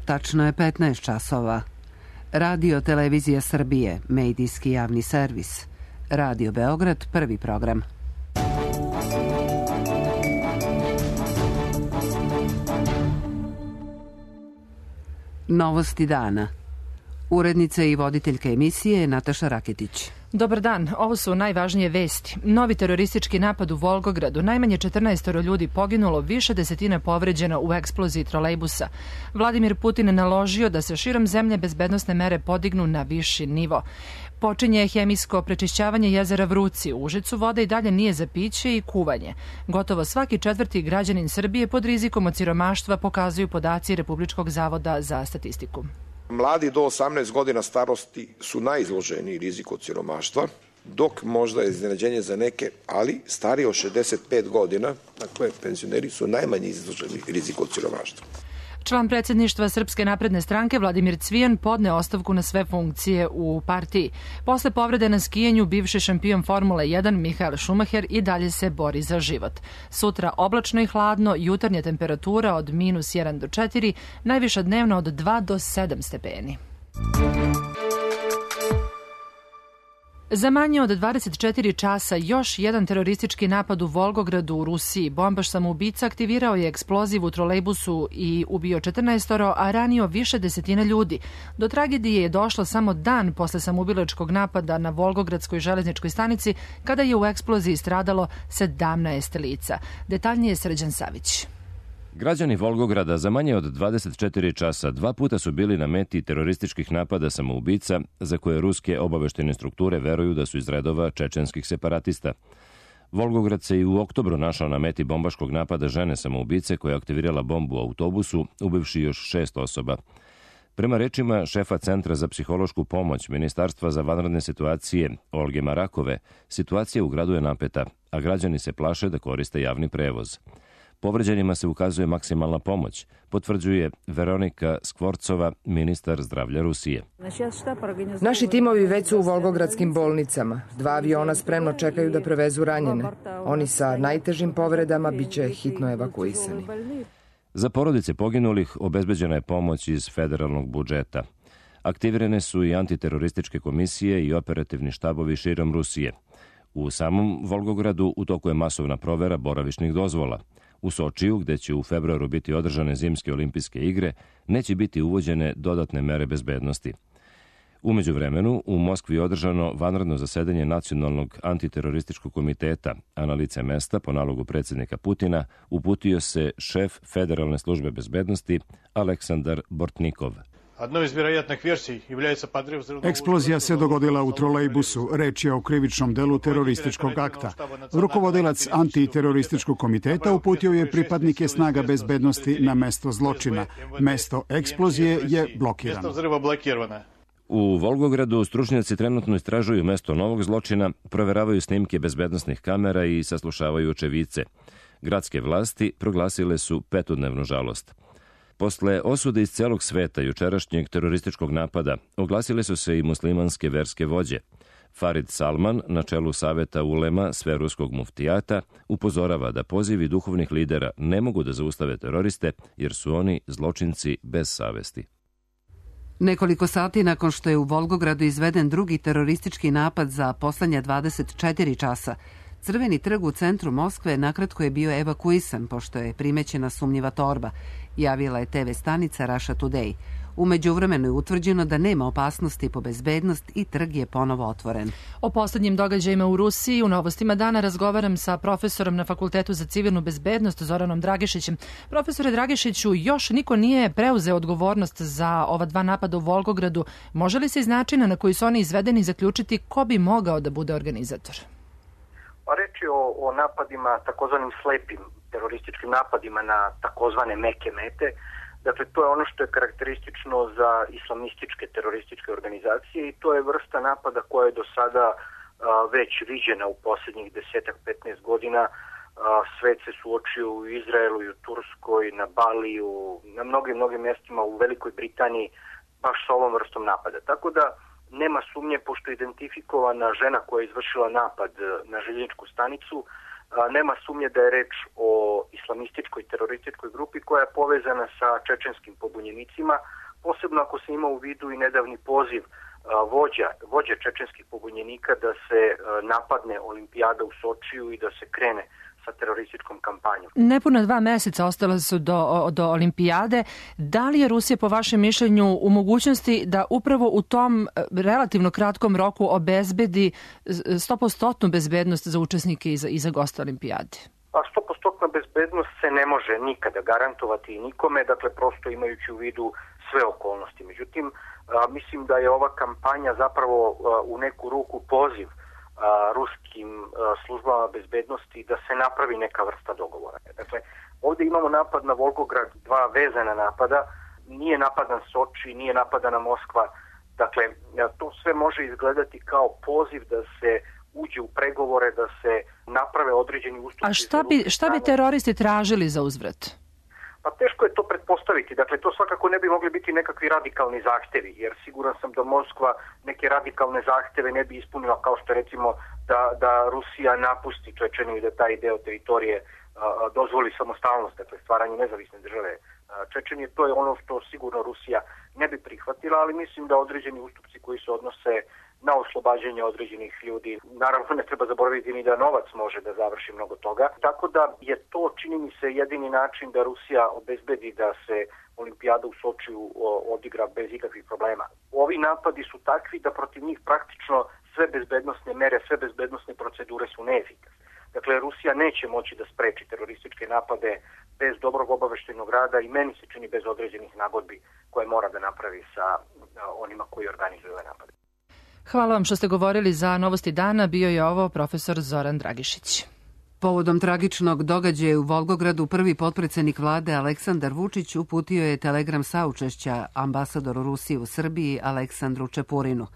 Tačno je 15 časova. Radio Televizija Srbije, medijski javni servis. Radio Beograd, prvi program. Novosti dana. Urednica i voditeljka emisije Nataša Raketić. Dobar dan, ovo su najvažnije vesti. Novi teroristički napad u Volgogradu, najmanje 14 ljudi poginulo, više desetina povređeno u eksploziji trolejbusa. Vladimir Putin naložio da se širom zemlje bezbednosne mere podignu na viši nivo. Počinje hemijsko prečišćavanje jezera Vruci. U Užicu voda i dalje nije za piće i kuvanje. Gotovo svaki četvrti građanin Srbije pod rizikom od siromaštva, pokazuju podaci Republičkog zavoda za statistiku. Mladi do 18 godina starosti su najizloženiji riziku od siromaštva, dok možda je iznenađenje za neke, ali stariji od 65 godina, dakle penzioneri su najmanje izloženi riziku od siromaštva. Član predsjedništva Srpske napredne stranke Vladimir Cvijan podne ostavku na sve funkcije u partiji. Posle povrede na skijenju, bivši šampion Formule 1 Michael Schumacher i dalje se bori za život. Sutra oblačno i hladno, jutarnja temperatura od -1 do 4, najviša dnevna od 2 do 7 stepeni. Za manje od 24 časa još jedan teroristički napad u Volgogradu u Rusiji. Bombaš samoubica aktivirao je eksploziv u trolejbusu i ubio 14, a ranio više desetina ljudi. Do tragedije je došlo samo dan posle samoubilačkog napada na Volgogradskoj železničkoj stanici, kada je u eksploziji stradalo 17 lica. Detaljnije Srđan Savić. Građani Volgograda za manje od 24 časa 2 puta su bili na meti terorističkih napada samoubica za koje ruske obaveštene strukture veruju da su iz redova čečenskih separatista. Volgograd se i u oktobru našao na meti bombaškog napada žene samoubice koja je aktivirala bombu u autobusu, ubivši još 6 osoba. Prema rečima šefa Centra za psihološku pomoć Ministarstva za vanredne situacije Olge Marakove, situacija u gradu je napeta, a građani se plaše da koriste javni prevoz. Povređenima se ukazuje maksimalna pomoć, potvrđuje Veronika Skvorcova, ministar zdravlja Rusije. Naši timovi već su u volgogradskim bolnicama. 2 aviona spremno čekaju da prevezu ranjene. Oni sa najtežim povredama biće hitno evakuisani. Za porodice poginulih obezbeđena je pomoć iz federalnog budžeta. Aktivirane su i antiterorističke komisije i operativni štabovi širom Rusije. U samom Volgogradu u toku je masovna provera boravišnih dozvola. U Sočiju, gde će u februaru biti održane zimske olimpijske igre, neće biti uvođene dodatne mere bezbednosti. U međuvremenu, u Moskvi je održano vanredno zasedanje Nacionalnog antiterorističkog komiteta, a na lice mesta, po nalogu predsjednika Putina, uputio se šef Federalne službe bezbednosti Aleksandar Bortnikov. Eksplozija se dogodila u trolejbusu. Reč je o krivičnom delu terorističkog akta. Rukovodilac antiterorističkog komiteta uputio je pripadnike snaga bezbednosti na mesto zločina. Mesto eksplozije je blokirano. U Volgogradu stručnjaci trenutno istražuju mesto novog zločina, proveravaju snimke bezbednosnih kamera i saslušavaju očevice. Gradske vlasti proglasile su 5-dnevnu žalost. Posle osude iz celog sveta jučerašnjeg terorističkog napada oglasile su se i muslimanske verske vođe. Farid Salman, na čelu saveta ulema sveruskog muftijata, upozorava da pozivi duhovnih lidera ne mogu da zaustave teroriste jer su oni zločinci bez savesti. Nekoliko sati nakon što je u Volgogradu izveden drugi teroristički napad za poslednja 24 časa, Crveni trg u centru Moskve nakratko je bio evakuisan pošto je primećena sumnjiva torba, javila je TV stanica Russia Today. U međuvremenu je utvrđeno da nema opasnosti po bezbednost i trg je ponovo otvoren. O poslednjim događajima u Rusiji u Novostima dana razgovaram sa profesorom na Fakultetu za civilnu bezbednost Zoranom Dragišićem. Profesore Dragišiću, još niko nije preuzeo odgovornost za ova 2 napada u Volgogradu. Može li se iz načina na koji su oni izvedeni zaključiti ko bi mogao da bude organizator? Reč je o napadima, takozvanim slepim terorističkim napadima na takozvane meke mete. Dakle, to je ono što je karakteristično za islamističke terorističke organizacije i to je vrsta napada koja je do sada već viđena u posljednjih 10-15 godina. Svet se suočio u Izraelu i u Turskoj, na Baliju, na mnogim mjestima u Velikoj Britaniji baš sa ovom vrstom napada. Tako da nema sumnje, pošto je identifikovana žena koja je izvršila napad na željezničku stanicu, nema sumnje da je reč o islamističkoj terorističkoj grupi koja je povezana sa čečenskim pobunjenicima, posebno ako se ima u vidu i nedavni poziv vođe čečenskih pobunjenika da se napadne olimpijada u Sočiju i da se krene sa terorističkom kampanjom. Nepuna 2 meseca ostala su do olimpijade. Da li je Rusija po vašem mišljenju u mogućnosti da upravo u tom relativno kratkom roku obezbedi 100% bezbednost za učesnike i za goste olimpijade? 100% bezbednost se ne može nikada garantovati nikome, dakle prosto imajući u vidu sve okolnosti. Međutim, mislim da je ova kampanja zapravo u neku ruku poziv ruskim službama bezbednosti da se napravi neka vrsta dogovora. Dakle, ovdje imamo napad na Volgograd, 2 vezana napada, nije napadan Soči, nije napadana Moskva. Dakle, to sve može izgledati kao poziv da se uđe u pregovore, da se naprave određeni ustupci. A šta bi teroristi tražili za uzvrat? Pa teško je to pretpostaviti. Dakle, to svakako ne bi mogli biti nekakvi radikalni zahtevi, jer siguran sam da Moskva neke radikalne zahteve ne bi ispunila, kao što recimo da Rusija napusti Čečeniju i da taj deo teritorije dozvoli samostalnost, dakle stvaranje nezavisne države Čečenije. To je ono što sigurno Rusija ne bi prihvatila, ali mislim da određeni ustupci koji se odnose na oslobađanje određenih ljudi. Naravno, ne treba zaboraviti ni da novac može da završi mnogo toga. Tako da je to, čini mi se, jedini način da Rusija obezbedi da se olimpijada u Sočiju odigra bez ikakvih problema. Ovi napadi su takvi da protiv njih praktično sve bezbednosne mere, sve bezbednosne procedure su neefikasne. Dakle, Rusija neće moći da spreči terorističke napade bez dobrog obaveštajnog rada i meni se čini bez određenih nagodbi koje mora da napravi sa onima koji organizuju ove napade. Hvala vam što ste govorili za Novosti dana. Bio je ovo profesor Zoran Dragišić. Povodom tragičnog događaja u Volgogradu prvi potpredsednik vlade Aleksandar Vučić uputio je telegram saučešća ambasadoru Rusije u Srbiji Aleksandru Čepurinu.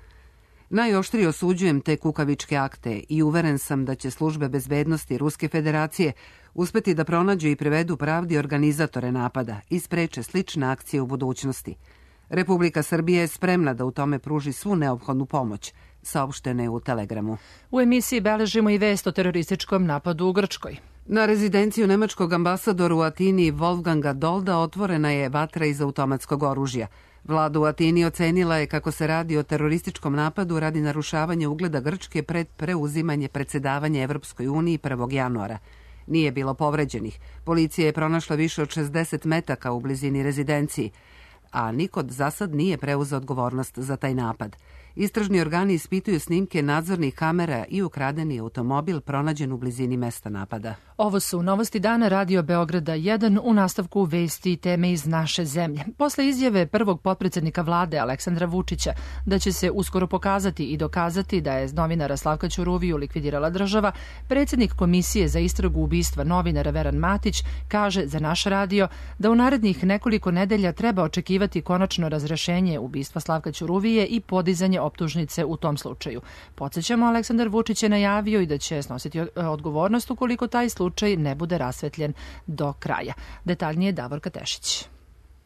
Najoštrije osuđujem te kukavičke akte i uveren sam da će službe bezbednosti Ruske federacije uspeti da pronađu i privedu pravdi organizatore napada i spreče slične akcije u budućnosti. Republika Srbije je spremna da u tome pruži svu neophodnu pomoć, saopšteno je u telegramu. U emisiji beležimo i vest o terorističkom napadu u Grčkoj. Na rezidenciju nemačkog ambasadora u Atini Wolfganga Dolda otvorena je vatra iz automatskog oružja. Vlada u Atini ocenila je kako se radi o terorističkom napadu radi narušavanja ugleda Grčke pred preuzimanje predsedavanja Evropskoj uniji 1. januara. Nije bilo povređenih. Policija je pronašla više od 60 metaka u blizini rezidenciji, a niko za sad nije preuzeo odgovornost za taj napad. Istražni organi ispituju snimke nadzornih kamera i ukradeni automobil pronađen u blizini mesta napada. Ovo su Novosti dana Radio Beograda 1, u nastavku vesti i teme iz naše zemlje. Posle izjave prvog potpredsednika vlade Aleksandra Vučića da će se uskoro pokazati i dokazati da je novinara Slavka Ćuruviju likvidirala država, predsjednik Komisije za istragu ubistva novinara Veran Matić kaže za naš radio da u narednih nekoliko nedelja treba očekivati konačno razrešenje ubistva Slavka Ćuruvije i podizanje optužnice u tom slučaju. Podsjećamo, Aleksandar Vučić je najavio i da će snositi odgovornost ukoliko taj slučaj ne bude rasvetljen do kraja. Detaljnije Davorka Tešić.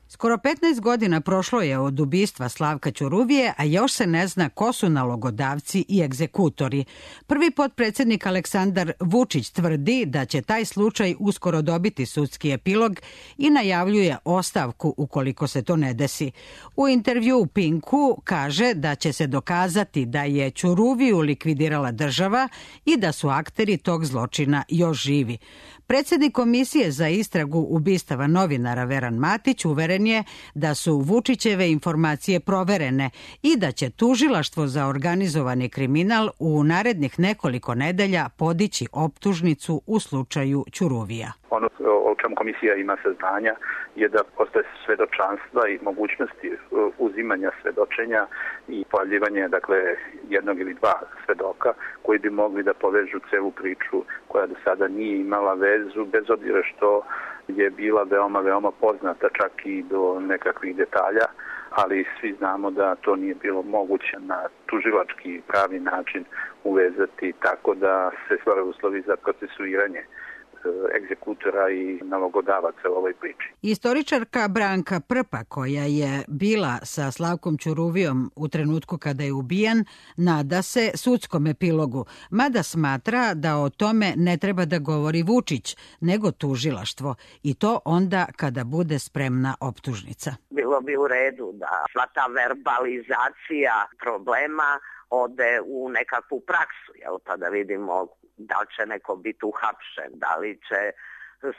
Skoro 15 godina prošlo je od ubistva Slavka Ćuruvije, a još se ne zna ko su nalogodavci i egzekutori. Prvi potpredsjednik Aleksandar Vučić tvrdi da će taj slučaj uskoro dobiti sudski epilog i najavljuje ostavku ukoliko se to ne desi. U intervju u Pinku kaže da će se dokazati da je Ćuruviju likvidirala država i da su akteri tog zločina još živi. Predsjednik Komisije za istragu ubistava novinara Veran Matić uveren je da su Vučićeve informacije proverene i da će tužilaštvo za organizovani kriminal u narednih nekoliko nedelja podići optužnicu u slučaju Ćuruvija. Ono o čemu komisija ima saznanja je da postoje svedočanstva i mogućnosti uzimanja svedočenja i pojavljivanja jednog ili dva svedoka koji bi mogli da povežu celu priču koja do sada nije imala vezu, bez obzira što je bila veoma poznata čak i do nekakvih detalja, ali svi znamo da to nije bilo moguće na tužilački pravi način uvezati tako da se stvore uslovi za procesuiranje egzekutora i nalogodavaca u ovoj priči. Istoričarka Branka Prpa, koja je bila sa Slavkom Ćuruvijom u trenutku kada je ubijen, nada se sudskom epilogu, mada smatra da o tome ne treba da govori Vučić, nego tužilaštvo, i to onda kada bude spremna optužnica. Bilo bi u redu da sva ta verbalizacija problema ode u nekakvu praksu, pa da vidimo da li će neko biti uhapšen, da li će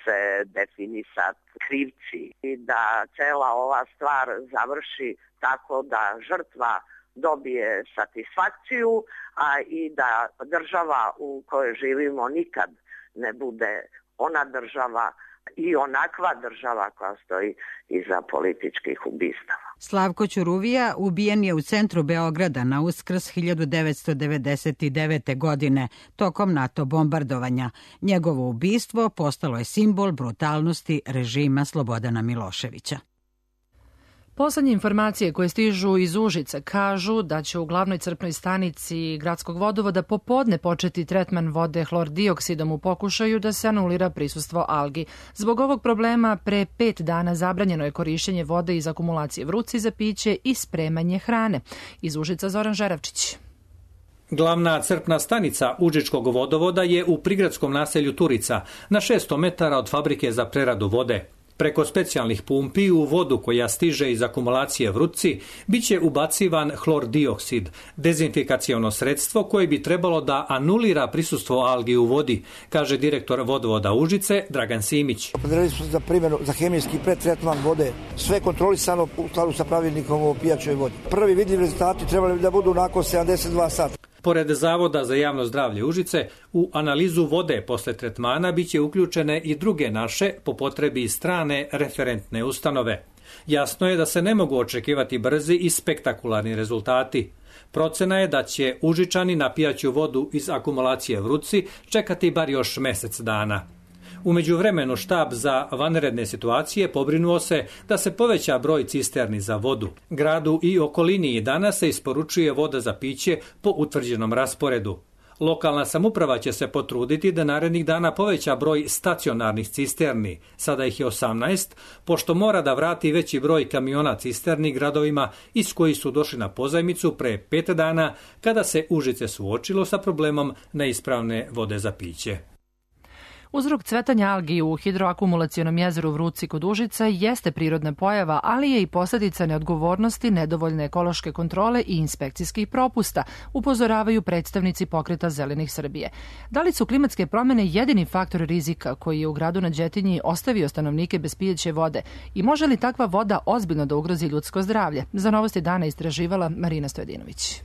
se definisati krivci i da cela ova stvar završi tako da žrtva dobije satisfakciju, a i da država u kojoj živimo nikad ne bude ona država i onakva država koja stoji iza političkih ubistava. Slavko Ćuruvija ubijen je u centru Beograda na Uskrs 1999. godine tokom NATO bombardovanja. Njegovo ubistvo postalo je simbol brutalnosti režima Slobodana Miloševića. Poslednje informacije koje stižu iz Užica kažu da će u glavnoj crpnoj stanici gradskog vodovoda popodne početi tretman vode hlordioksidom u pokušaju da se anulira prisustvo algi. Zbog ovog problema pre 5 dana zabranjeno je korišćenje vode iz akumulacije Vrúci za piće i spremanje hrane. Iz Užica Zoran Žeravčić. Glavna crpna stanica Užičkog vodovoda je u prigradskom naselju Turica, na 600 metara od fabrike za preradu vode. Preko specijalnih pumpi u vodu koja stiže iz akumulacije Vrúci biće ubacivan hlordioksid, dezinfikaciono sredstvo koje bi trebalo da anulira prisustvo algi u vodi, kaže direktor vodovoda Užice Dragan Simić. Opredelili smo za primjenu za hemijski pretretman vode, sve kontrolisano u skladu sa pravilnikom o pijaćoj vodi. Prvi vidljivi rezultati trebali bi da budu nakon 72 sata. Pored Zavoda za javno zdravlje Užice, u analizu vode posle tretmana biće uključene i druge naše, po potrebi i strane, referentne ustanove. Jasno je da se ne mogu očekivati brzi i spektakularni rezultati. Procena je da će Užičani na pijaću vodu iz akumulacije Vrúci čekati bar još mesec dana. U međuvremenu štab za vanredne situacije pobrinuo se da se poveća broj cisterni za vodu. Gradu i okolini i danas se isporučuje voda za piće po utvrđenom rasporedu. Lokalna samouprava će se potruditi da narednih dana poveća broj stacionarnih cisterni, sada ih je 18, pošto mora da vrati veći broj kamiona cisterni gradovima iz koji su došli na pozajmicu pre 5 dana, kada se Užice suočilo sa problemom neispravne vode za piće. Uzrok cvetanja algi u hidroakumulacionom jezeru Vrúci kod Užica jeste prirodna pojava, ali je i posljedica neodgovornosti, nedovoljne ekološke kontrole i inspekcijskih propusta, upozoravaju predstavnici Pokreta Zelenih Srbije. Da li su klimatske promene jedini faktor rizika koji je u gradu na Đetinji ostavio stanovnike bez pijeće vode i može li takva voda ozbiljno da ugrozi ljudsko zdravlje? Za Novosti dana istraživala Marina Stojadinović.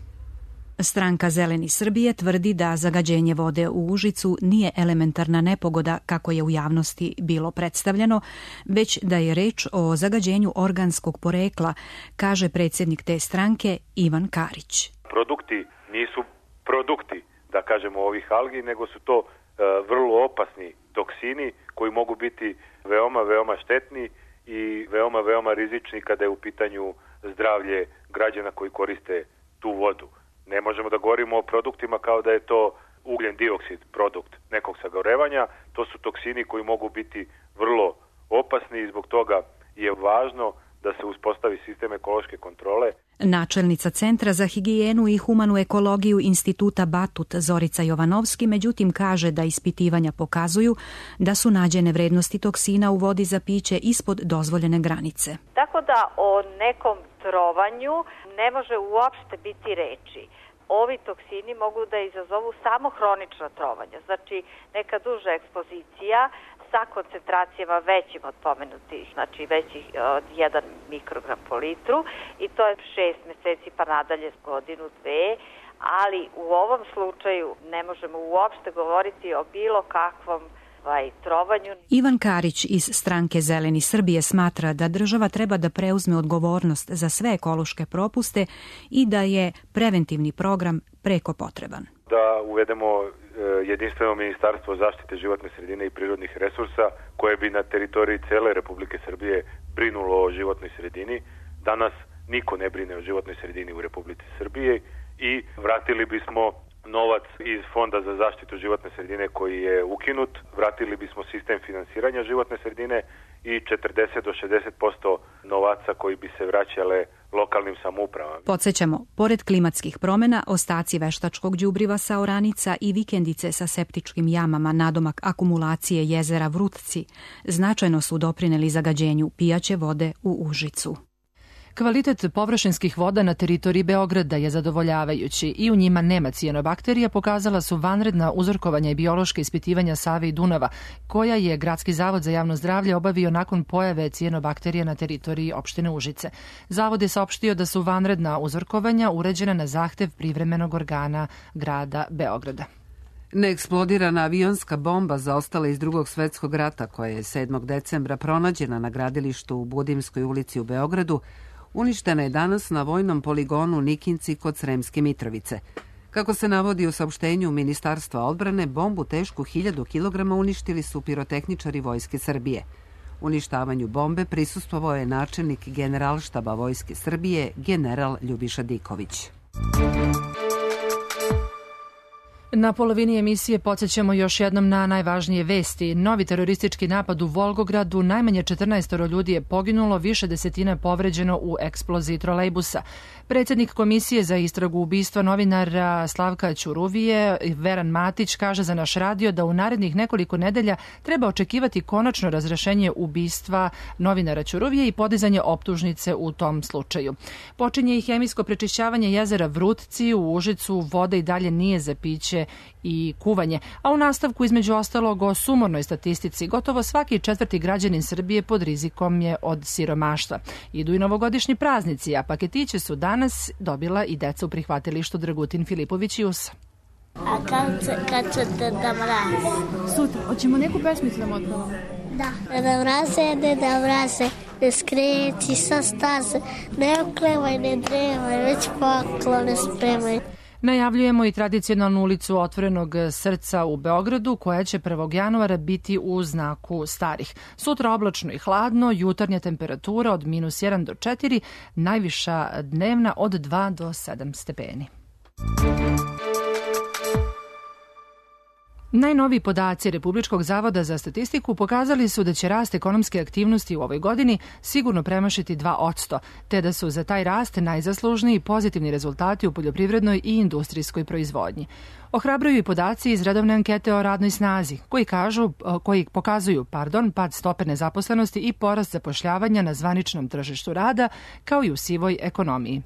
Stranka Zeleni Srbije tvrdi da zagađenje vode u Užicu nije elementarna nepogoda kako je u javnosti bilo predstavljeno, već da je reč o zagađenju organskog porekla, kaže predsjednik te stranke Ivan Karić. Produkti nisu produkti, da kažemo, ovih algi, nego su to vrlo opasni toksini koji mogu biti veoma štetni i veoma rizični kada je u pitanju zdravlje građana koji koriste tu vodu. Ne možemo da govorimo o produktima kao da je to ugljen dioksid, produkt nekog sagorevanja. To su toksini koji mogu biti vrlo opasni i zbog toga je važno da se uspostavi sistem ekološke kontrole. Načelnica Centra za higijenu i humanu ekologiju Instituta Batut Zorica Jovanovski međutim kaže da ispitivanja pokazuju da su nađene vrednosti toksina u vodi za piće ispod dozvoljene granice. Tako da o nekom trovanju ne može uopšte biti reči. Ovi toksini mogu da izazovu samo hronično trovanje, znači neka duža ekspozicija sa koncentracijama većim od pomenutih, znači većih od 1 mikrogram po litru i to je 6 meseci pa nadalje s godinu, 2, ali u ovom slučaju ne možemo uopšte govoriti o bilo kakvom trovanju. Ivan Karić iz stranke Zeleni Srbije smatra da država treba da preuzme odgovornost za sve ekološke propuste i da je preventivni program preko potreban. Da uvedemo jedinstveno ministarstvo zaštite životne sredine i prirodnih resursa koje bi na teritoriji cele Republike Srbije brinulo o životnoj sredini. Danas niko ne brine o životnoj sredini u Republici Srbije i vratili bismo novac iz Fonda za zaštitu životne sredine koji je ukinut, vratili bismo sistem finansiranja životne sredine i 40 do 60% novaca koji bi se vraćale lokalnim samoupravama. Podsjećamo, pored klimatskih promjena, ostaci veštačkog đubriva sa oranica i vikendice sa septičkim jamama nadomak akumulacije jezera Vrutci značajno su doprineli zagađenju pijaće vode u Užicu. Kvalitet površinskih voda na teritoriji Beograda je zadovoljavajući i u njima nema cijanobakterija, pokazala su vanredna uzorkovanja i biološka ispitivanja Save i Dunava, koja je Gradski zavod za javno zdravlje obavio nakon pojave cijanobakterija na teritoriji opštine Užice. Zavod je saopštio da su vanredna uzorkovanja uređena na zahtev privremenog organa grada Beograda. Neeksplodirana avionska bomba zaostala iz Drugog svetskog rata, koja je 7. decembra pronađena na gradilištu u Budimskoj ulici u Beogradu, uništena je danas na vojnom poligonu Nikinci kod Sremske Mitrovice. Kako se navodi u saopštenju Ministarstva odbrane, bombu tešku 1000 kg uništili su pirotehničari Vojske Srbije. Uništavanju bombe prisustvovao je načelnik Generalštaba Vojske Srbije, general Ljubiša Diković. Na polovini emisije podsjećamo još jednom na najvažnije vesti. Novi teroristički napad u Volgogradu, najmanje 14 ljudi je poginulo, više desetina povređeno u eksploziji trolejbusa. Predsjednik Komisije za istragu ubistva novinara Slavka Ćuruvije, Veran Matić, kaže za naš radio da u narednih nekoliko nedelja treba očekivati konačno razrešenje ubistva novinara Ćuruvije i podizanje optužnice u tom slučaju. Počinje i hemijsko prečišćavanje jezera Vrutci, u Užicu voda i dalje nije za piće i kuvanje, a u nastavku između ostalog o sumornoj statistici gotovo svaki 4. građanin Srbije pod rizikom je od siromaštva. Idu i novogodišnji praznici, a paketiće su danas dobila i deca u prihvatilištu Dragutin Filipović i USA. A kad ćete da mrazi? Sutra. Hoćemo neku pesmicu da otpevamo? Da. Da mraze, ne skreći sa staze, ne oklevaj, ne drevaj, već poklone spremaj. Najavljujemo i tradicionalnu ulicu Otvorenog srca u Beogradu, koja će 1. januara biti u znaku starih. Sutra oblačno i hladno, jutarnja temperatura od -1 do 4, najviša dnevna od 2 do 7 stepeni. Najnoviji podaci Republičkog zavoda za statistiku pokazali su da će rast ekonomske aktivnosti u ovoj godini sigurno premašiti 2%, te da su za taj rast najzaslužniji pozitivni rezultati u poljoprivrednoj i industrijskoj proizvodnji. Ohrabruju i podaci iz redovne ankete o radnoj snazi, koji pokazuju pad stope nezaposlenosti i porast zapošljavanja na zvaničnom tržištu rada, kao i u sivoj ekonomiji.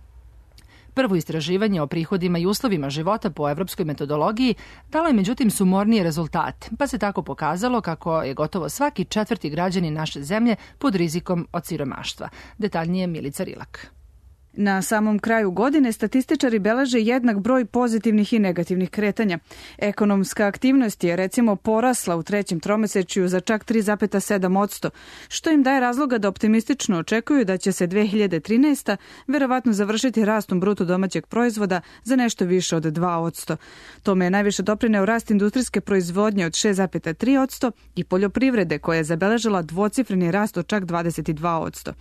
Prvo istraživanje o prihodima i uslovima života po evropskoj metodologiji dalo je međutim sumornije rezultate, pa se tako pokazalo kako je gotovo svaki 4. građanin naše zemlje pod rizikom od siromaštva. Detaljnije Milica Rilak. Na samom kraju godine statističari beleže jednak broj pozitivnih i negativnih kretanja. Ekonomska aktivnost je recimo porasla u trećem tromesečju za čak 3,7%, što im daje razloga da optimistično očekuju da će se 2013. verovatno završiti rastom bruto domaćeg proizvoda za nešto više od 2%. Tome je najviše doprineo rast industrijske proizvodnje od 6,3% i poljoprivrede koja je zabeležila dvocifreni rast od čak 22%.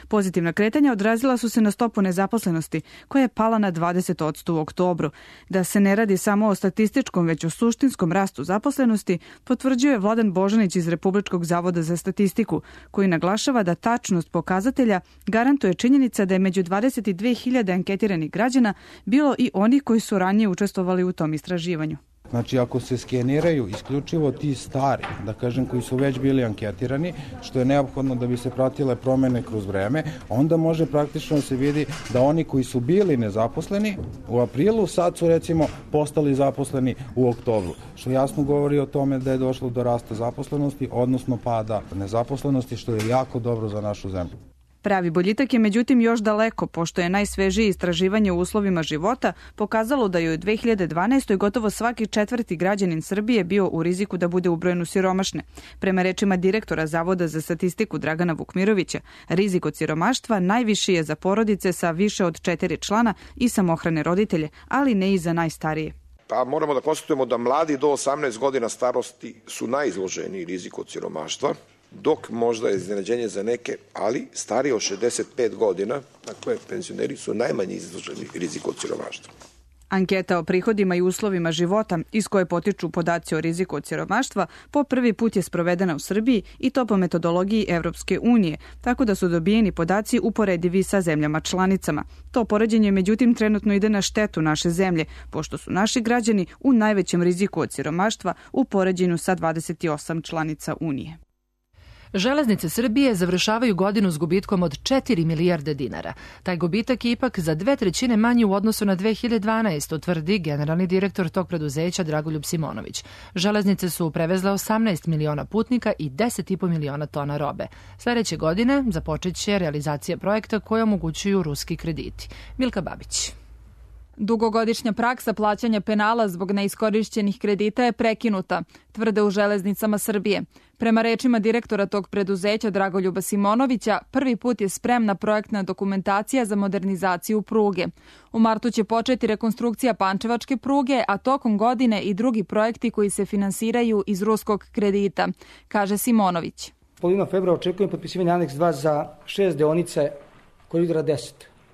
Pozitivna kretanja odrazila su se na stopu nezaposlenosti, koja je pala na 20% u oktobru. Da se ne radi samo o statističkom, već o suštinskom rastu zaposlenosti, potvrđuje Vladan Božanić iz Republičkog zavoda za statistiku, koji naglašava da tačnost pokazatelja garantuje činjenica da je među 22.000 anketiranih građana bilo i oni koji su ranije učestvovali u tom istraživanju. Znači, ako se skeniraju isključivo ti stari, da kažem, koji su već bili anketirani, što je neophodno da bi se pratile promene kroz vreme, onda može praktično se vidi da oni koji su bili nezaposleni u aprilu, sad su recimo postali zaposleni u oktobru, što jasno govori o tome da je došlo do rasta zaposlenosti, odnosno pada nezaposlenosti, što je jako dobro za našu zemlju. Pravi boljitak je međutim još daleko, pošto je najsvežije istraživanje u uslovima života pokazalo da je u 2012. gotovo svaki 4. građanin Srbije bio u riziku da bude ubrojen u siromašne. Prema rečima direktora Zavoda za statistiku Dragana Vukmirovića, rizik od siromaštva najviši je za porodice sa više od 4 člana i samohrane roditelje, ali ne i za najstarije. Pa moramo da konstatujemo da mladi do 18 godina starosti su najizloženiji riziku od siromaštva, dok možda je iznenađenje za neke, ali stariji od 65 godina, dakle penzioneri su najmanje izloženi riziku od siromaštva. Anketa o prihodima i uslovima života iz koje potiču podaci o riziku od siromaštva po prvi put je sprovedena u Srbiji i to po metodologiji Evropske unije, tako da su dobijeni podaci uporedivi sa zemljama članicama. To poređenje međutim trenutno ide na štetu naše zemlje, pošto su naši građani u najvećem riziku od siromaštva u poređenju sa 28 članica Unije. Železnice Srbije završavaju godinu s gubitkom od 4 milijarde dinara. Taj gubitak je ipak za 2/3 manji u odnosu na 2012, tvrdi generalni direktor tog preduzeća Dragoljub Simonović. Železnice su prevezle 18 miliona putnika i 10,5 miliona tona robe. Sledeće godine započeće realizacija projekta koje omogućuju ruski krediti. Milka Babić. Dugogodišnja praksa plaćanja penala zbog neiskorišćenih kredita je prekinuta, tvrde u Železnicama Srbije. Prema rečima direktora tog preduzeća Dragoljuba Simonovića, prvi put je spremna projektna dokumentacija za modernizaciju pruge. U martu će početi rekonstrukcija Pančevačke pruge, a tokom godine i drugi projekti koji se finansiraju iz ruskog kredita, kaže Simonović. Polovinom februara očekujem potpisivanje aneks 2 za 6 deonice koridora 10.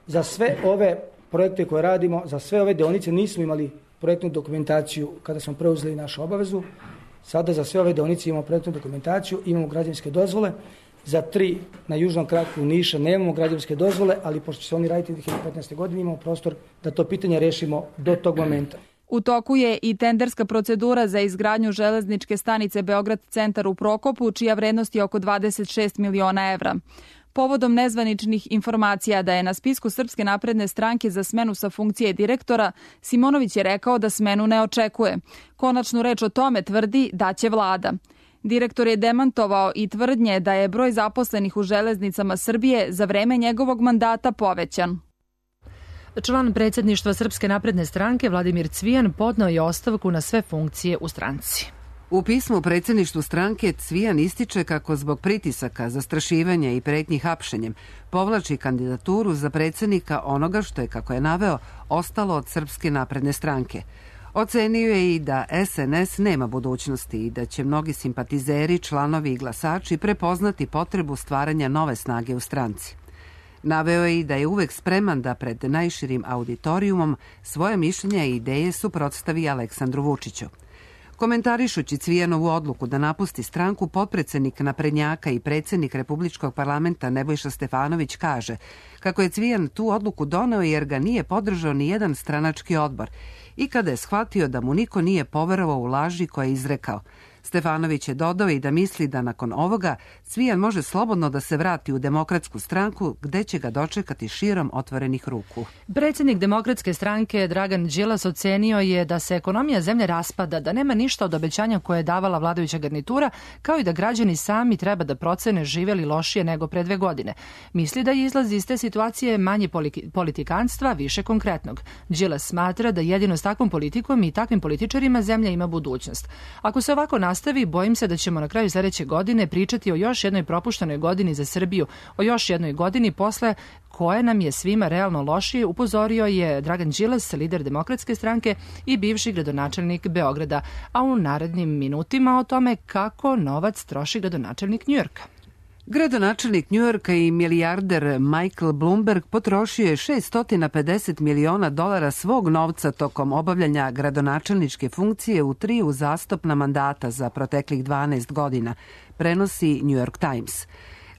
Za sve ove projekte koje radimo, za sve ove deonice nismo imali projektnu dokumentaciju kada smo preuzeli našu obavezu. Sada za sve ove deonice imamo projektnu dokumentaciju, imamo građevinske dozvole. Za 3 na južnom kraku Niša nemamo građevinske dozvole, ali pošto će se oni raditi 2015. godine, imamo prostor da to pitanje rešimo do tog momenta. U toku je i tenderska procedura za izgradnju železničke stanice Beograd centar u Prokopu, čija vrednost je oko 26 miliona evra. Povodom nezvaničnih informacija da je na spisku Srpske napredne stranke za smenu sa funkcije direktora, Simonović je rekao da smenu ne očekuje. Konačnu reč o tome tvrdi da će vlada. Direktor je demantovao i tvrdnje da je broj zaposlenih u Železnicama Srbije za vreme njegovog mandata povećan. Član predsjedništva Srpske napredne stranke Vladimir Cvijan podneo je ostavku na sve funkcije u stranci. U pismu predsjedništvu stranke Cvijan ističe kako zbog pritisaka, zastrašivanja i pretnji hapšenjem povlači kandidaturu za predsjednika onoga što je, kako je naveo, ostalo od Srpske napredne stranke. Ocenio je i da SNS nema budućnosti i da će mnogi simpatizeri, članovi i glasači prepoznati potrebu stvaranja nove snage u stranci. Naveo je i da je uvek spreman da pred najširim auditorijumom svoje mišljenja i ideje suprotstavi Aleksandru Vučiću. Komentarišući Cvijanovu odluku da napusti stranku, potpredsednik naprednjaka i predsjednik Republičkog parlamenta Nebojša Stefanović kaže kako je Cvijan tu odluku doneo jer ga nije podržao ni jedan stranački odbor i kada je shvatio da mu niko nije poverovao u laži koje je izrekao. Stefanović je dodao i da misli da nakon ovoga Cvijan može slobodno da se vrati u Demokratsku stranku gde će ga dočekati širom otvorenih ruku. Predsjednik Demokratske stranke Dragan Đilas ocenio je da se ekonomija zemlje raspada, da nema ništa od obećanja koje je davala vladajuća garnitura, kao i da građani sami treba da procene žive li lošije nego pre 2 godine. Misli da je izlaz iz te situacije manje politikanstva, više konkretnog. Đilas smatra da jedino s takvom politikom i takvim političarima zemlja ima budućnost. Ako se ovako nastavi, bojim se da ćemo na kraju sledeće godine pričati o još jednoj propuštenoj godini za Srbiju, o još jednoj godini posle koje nam je svima realno lošije, upozorio je Dragan Đilas, lider Demokratske stranke i bivši gradonačelnik Beograda, a u narednim minutima o tome kako novac troši gradonačelnik Njujorka. Gradonačelnik Njujorka i milijarder Michael Bloomberg potrošio je $650 miliona svog novca tokom obavljanja gradonačelničke funkcije u 3 uzastopna mandata za proteklih 12 godina, prenosi New York Times.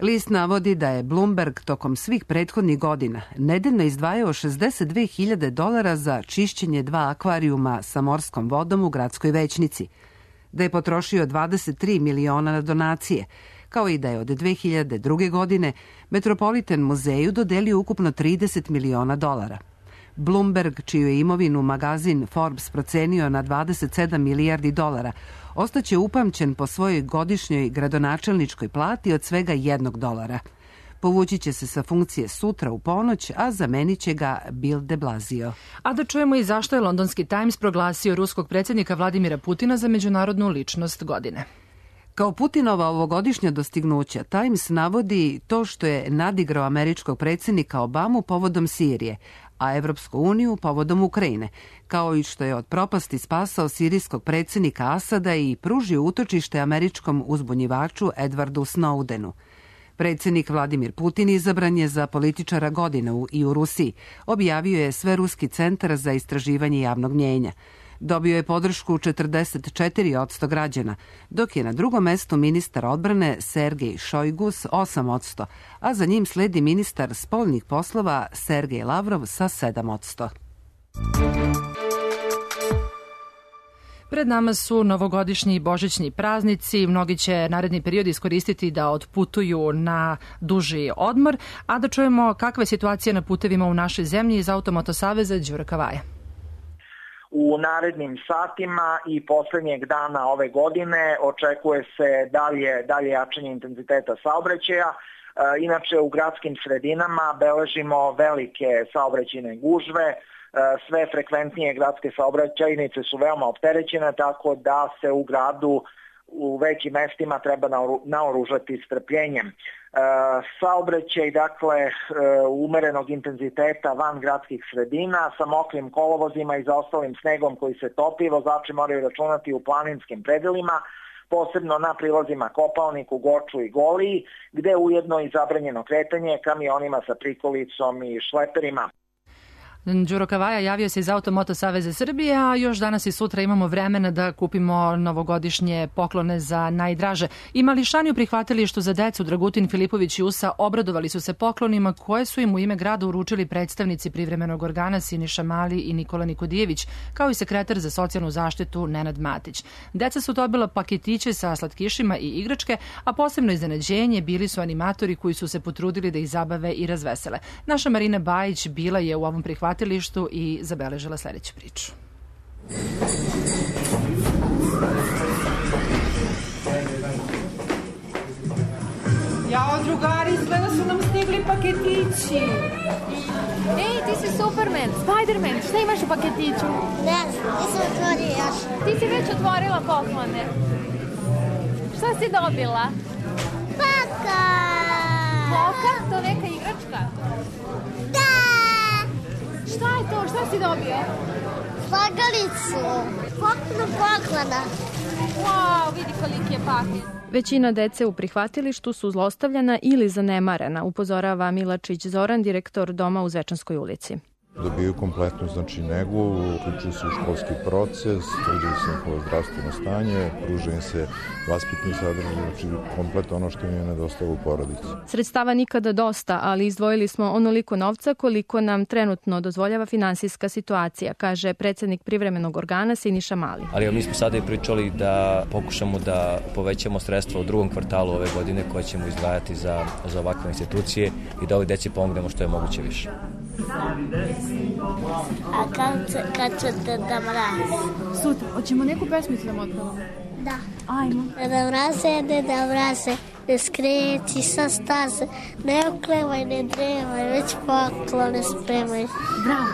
List navodi da je Bloomberg tokom svih prethodnih godina nedeljno izdvajao $62.000 za čišćenje 2 akvarijuma sa morskom vodom u gradskoj većnici, da je potrošio 23 miliona na donacije, kao i da je od 2002. godine Metropolitan muzeju dodelio ukupno $30 miliona. Bloomberg, čiju je imovinu magazin Forbes procenio na $27 milijardi, ostaće upamćen po svojoj godišnjoj gradonačelničkoj plati od svega $1. Povući će se sa funkcije sutra u ponoć, a zamenit će ga Bill de Blasio. A da čujemo i zašto je londonski Times proglasio ruskog predsjednika Vladimira Putina za međunarodnu ličnost godine. Kao Putinova ovogodišnja dostignuća, Times navodi to što je nadigrao američkog predsjednika Obamu povodom Sirije, a Evropsku uniju povodom Ukrajine, kao i što je od propasti spasao sirijskog predsjednika Asada i pružio utočište američkom uzbunjivaču Edwardu Snowdenu. Predsjednik Vladimir Putin izabran je za političara godine i u Rusiji. Objavio je Sveruski centar za istraživanje javnog mnjenja. Dobio je podršku 44% građana, dok je na drugom mestu ministar odbrane Sergej Šojgu s 8%, a za njim sledi ministar spoljnih poslova Sergej Lavrov sa 7%. Pred nama su novogodišnji i božićni praznici. Mnogi će naredni period iskoristiti da otputuju na duži odmor, a da čujemo kakva je situacija na putevima u našoj zemlji iz Automoto saveza Đura Kavaja. U narednim satima i poslednjeg dana ove godine očekuje se dalje jačanje intenziteta saobraćaja. Inače, u gradskim sredinama beležimo velike saobraćajne gužve. Sve frekventnije gradske saobraćajnice su veoma opterećene, tako da se u gradu u većim mestima treba naoružati strpljenjem. Saobraćaj, dakle, umerenog intenziteta van gradskih sredina sa mokrim kolovozima i zaostalim snegom koji se topi, vozači moraju računati u planinskim predelima, posebno na prilazima Kopaoniku, Goču i Goliji, gde ujedno i zabranjeno kretanje kamionima sa prikolicom i šleperima. Đuro Kavaja javio se iz Automoto saveza Srbije, a još danas i sutra imamo vremena da kupimo novogodišnje poklone za najdraže. I mališani u prihvatilištu za decu Dragutin Filipović i Usa obradovali su se poklonima koje su im u ime grada uručili predstavnici privremenog organa Siniša Mali i Nikola Nikodijević, kao i sekretar za socijalnu zaštitu Nenad Matić. Deca su dobila paketiće sa slatkišima i igračke, a posebno iznenađenje bili su animatori koji su se potrudili da ih zabave i razvesele. Naša Marina Bajić bila je u ovom prihvatilištu i zabeležila sledeću priču. Jao, drugari, izgleda su nam stigli paketići. Ej, ti si Superman, Spiderman, šta imaš u paketiću? Ne znam, nisam otvorio još. Ti si već otvorila poklone. Šta si dobila? Paka! Poka? To neka igračka? Da! Šta je to? Šta si dobio? Slagalicu. Poklona. Wow, vidi koliki je paket. Većina dece u prihvatilištu su zlostavljana ili zanemarena, upozorava Milačić Zoran, direktor doma u Zvečanskoj ulici. Dobiju kompletnu negu, uključuju se u školski proces, utvrđuju se njihovo zdravstveno stanje, pruža im se vaspitni sadržaj, znači kompletno ono što im je nedostalo u porodici. Sredstava nikada dosta, ali izdvojili smo onoliko novca koliko nam trenutno dozvoljava finansijska situacija, kaže predsednik privremenog organa Siniša Mali. Ali mi smo sada i pričali da pokušamo da povećamo sredstva u drugom kvartalu ove godine koje ćemo izdvajati za ovakve institucije i da ovoj deci pomognemo što je moguće više. A kad će Deda Mraz? Sutra, hoćemo neku pesmicu da mu otpevamo? Da. Ajmo. Deda Mraze, ne skreći sa staze, ne oklevaj, ne drevaj, već poklone spremaj. Bravo,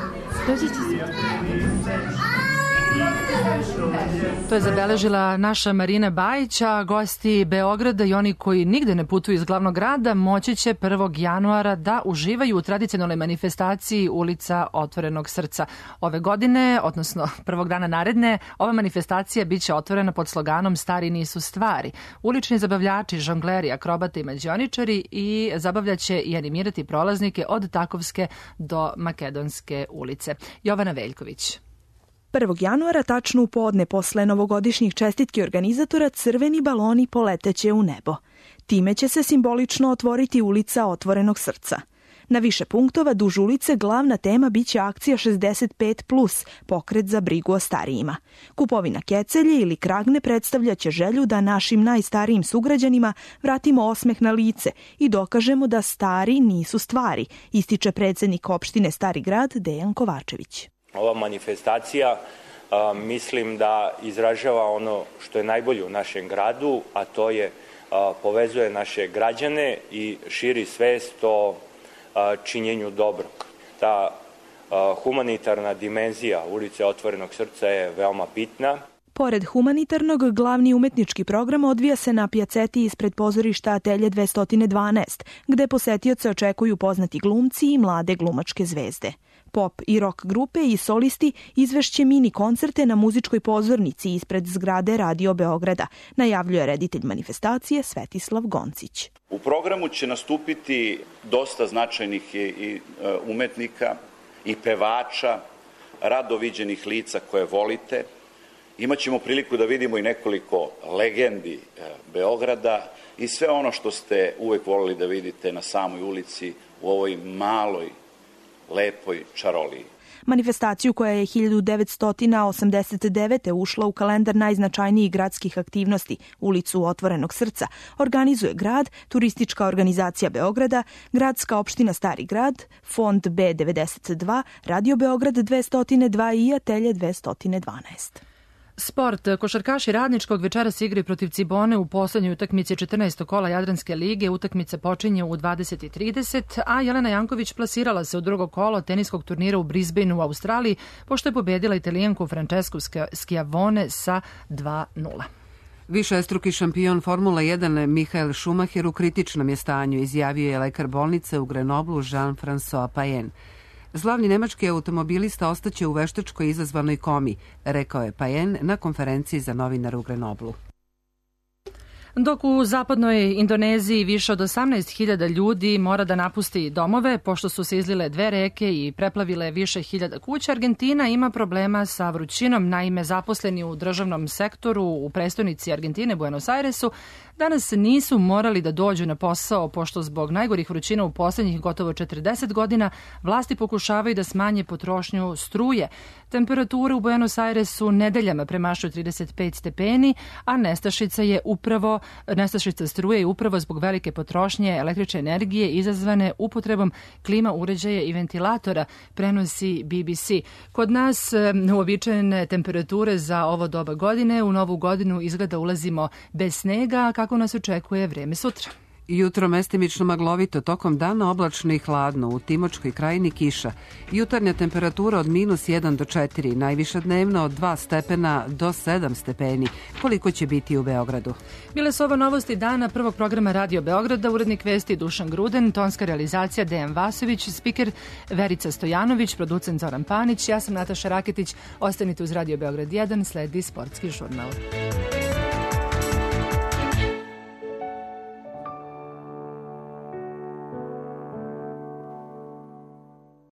dođi će sutra. To je zabeležila naša Marina Bajić, a gosti Beograda i oni koji nigde ne putuju iz glavnog grada moći će 1. januara da uživaju u tradicionalnoj manifestaciji Ulica Otvorenog srca. Ove godine, odnosno prvog dana naredne, ova manifestacija biće otvorena pod sloganom Stari nisu stvari. Ulični zabavljači, žongleri, akrobate i mađioničari i zabavljaće i animirati prolaznike od Takovske do Makedonske ulice. Jovana Veljković. 1. januara, tačno u podne posle novogodišnjih čestitki organizatora, crveni baloni poleteće u nebo. Time će se simbolično otvoriti Ulica Otvorenog srca. Na više punktova duž ulice glavna tema biće akcija 65+, pokret za brigu o starijima. Kupovina kecelje ili kragne predstavljaće želju da našim najstarijim sugrađanima vratimo osmeh na lice i dokažemo da stari nisu stvari, ističe predsednik opštine Stari grad Dejan Kovačević. Ova manifestacija mislim da izražava ono što je najbolje u našem gradu, a to je povezuje naše građane i širi svest o činjenju dobrog. Ta humanitarna dimenzija Ulice Otvorenog srca je veoma bitna. Pored humanitarnog, glavni umetnički program odvija se na pijaceti ispred pozorišta Atelje 212, gde posetioce očekuju poznati glumci i mlade glumačke zvezde. Pop i rock grupe i solisti izvešće mini koncerte na muzičkoj pozornici ispred zgrade Radio Beograda, najavljuje reditelj manifestacije Svetislav Goncić. U U programu će nastupiti dosta značajnih i umetnika i pevača, rado viđenih lica koje volite. Imaćemo priliku da vidimo i nekoliko legendi Beograda i sve ono što ste uvek volili da vidite na samoj ulici u ovoj maloj, lepoj čaroliji. Manifestaciju koja je 1989. ušla u kalendar najznačajnijih gradskih aktivnosti, ulicu Otvorenog srca, organizuje grad, Turistička organizacija Beograda, Gradska opština Stari grad, Fond B92, Radio Beograd 202 i Atelje 212. Sport. Košarkaši Radničkog večeras igraju protiv Cibone u poslednjoj utakmici 14. kola Jadranske lige. Utakmica počinje u 20:30, a Jelena Janković plasirala se u drugo kolo teniskog turnira u Brisbaneu u Australiji, pošto je pobedila Italijanku Francesku Schiavone sa 2:0. Višestruki šampion Formula 1 Michael Schumacher u kritičnom je stanju, izjavio je lekar bolnice u Grenoblu Jean-François Payen. Slavni nemački automobilista ostaće u veštačkoj izazvanoj komi, rekao je Payen na konferenciji za novinare u Grenoblu. Dok u zapadnoj Indoneziji više od 18.000 ljudi mora da napusti domove, pošto su se izlile 2 reke i preplavile više hiljada kuća, Argentina ima problema sa vrućinom. Naime, zaposleni u državnom sektoru u prestonici Argentine, Buenos Airesu, danas nisu morali da dođu na posao, pošto zbog najgorih vrućina u poslednjih gotovo 40 godina vlasti pokušavaju da smanje potrošnju struje. Temperature u Buenos Airesu nedeljama premašuju 35 stepeni, a nestašica struje je upravo zbog velike potrošnje električne energije izazvane upotrebom klima uređaja i ventilatora, prenosi BBC. Kod nas uobičajene temperature za ovo doba godine, u novu godinu izgleda ulazimo bez snega, kako nas očekuje vreme sutra. Jutro mestimično maglovito, tokom dana oblačno i hladno, u Timočkoj krajini kiša. Jutarnja temperatura od -1 do 4, najviša dnevno od 2 stepena do 7 stepeni. Koliko će biti u Beogradu? Bile su ovo novosti dana prvog programa Radio Beograda, urednik vesti Dušan Gruden, tonska realizacija Dejan Vasović, spiker Verica Stojanović, producent Zoran Panić, ja sam Nataša Raketić. Ostanite uz Radio Beograd 1, sledi sportski žurnal.